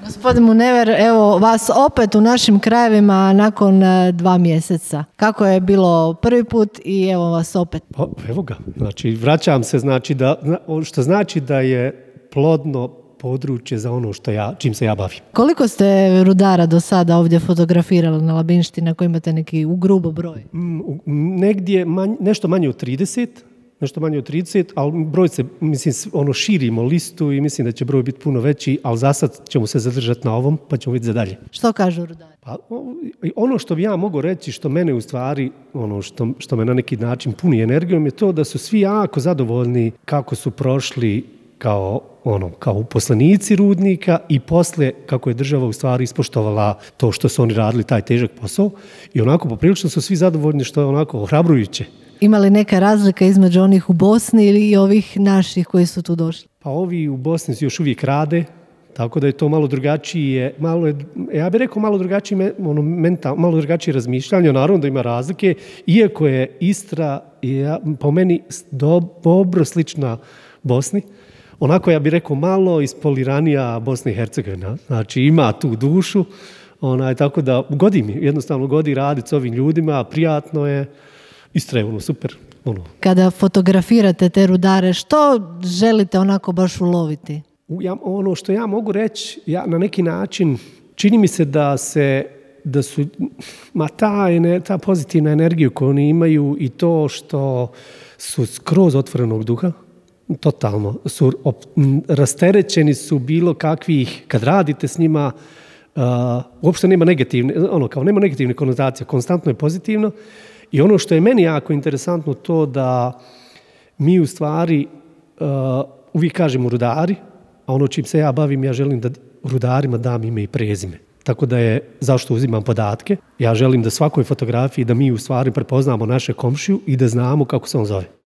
Gospodin Munever, evo vas opet u našim krajevima nakon 2 mjeseca. Kako je bilo prvi put i evo vas opet? Pa, evo ga, znači vraćam se, što znači da je plodno područje za ono čim se ja bavim. Koliko ste rudara do sada ovdje fotografirali na Labinštini, ako imate neki u grubo broj? Negdje nešto manje od 30, ali broj se, širimo listu i mislim da će broj biti puno veći, ali za sad ćemo se zadržati na ovom, pa ćemo vidjeti za dalje. Što kažu rudari? Pa, ono što bi ja mogu reći, što mene u stvari, što me na neki način puni energijom, je to da su svi jako zadovoljni kako su prošli kao uposlenici rudnika i poslije kako je država u stvari ispoštovala to što su oni radili taj težak posao i onako poprilično su svi zadovoljni, što je onako ohrabrujuće. Ima li neka razlika između onih u Bosni ili ovih naših koji su tu došli? Pa ovi u Bosni još uvijek rade, tako da je to malo drugačije, ja bih rekao malo drugačije razmišljanje, naravno da ima razlike, iako je Istra po meni dobro slična Bosni, onako ja bih rekao malo ispoliranija Bosna i Hercegovina, znači ima tu dušu, tako da jednostavno godi raditi s ovim ljudima, prijatno je, Istra je super. Kada fotografirate te rudare, što želite onako baš uloviti? Ono što ja mogu reći, na neki način čini mi se da su ta pozitivna energija koju oni imaju i to što su skroz otvorenog duha, totalno su rasterećeni su bilo kakvih, kad radite s njima, uopšte nema negativne konotacije, konstantno je pozitivno. I ono što je meni jako interesantno to da mi u stvari uvijek kažemo rudari, a ono čim se ja bavim, ja želim da rudarima dam ime i prezime. Tako da je, zašto uzimam podatke, ja želim da svakoj fotografiji da mi u stvari prepoznamo naše komšiju i da znamo kako se on zove.